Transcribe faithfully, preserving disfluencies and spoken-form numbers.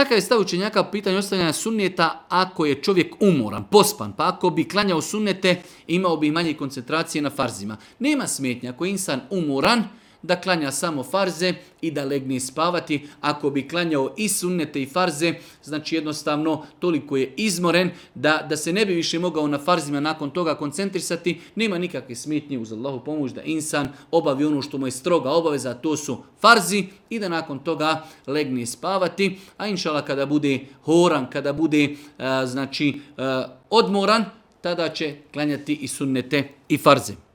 Kakav je stav učenjaka po pitanju ostavljanja sunneta ako je čovjek umoran, pospan, pa ako bi klanjao sunnete, imao bi manje koncentracije na farzima. Nema smetnje ako je insan umoran, da klanja samo farze i da legne spavati. Ako bi klanjao i sunnete i farze, znači jednostavno toliko je izmoren da, da se ne bi više mogao na farzima nakon toga koncentrisati. Nema nikakve smetnje uz Allahu pomoć da insan obavi ono što mu je stroga obaveza, to su farzi, i da nakon toga legne spavati. A inšala kada bude horan, kada bude a, znači a, odmoran, tada će klanjati i sunnete i farze.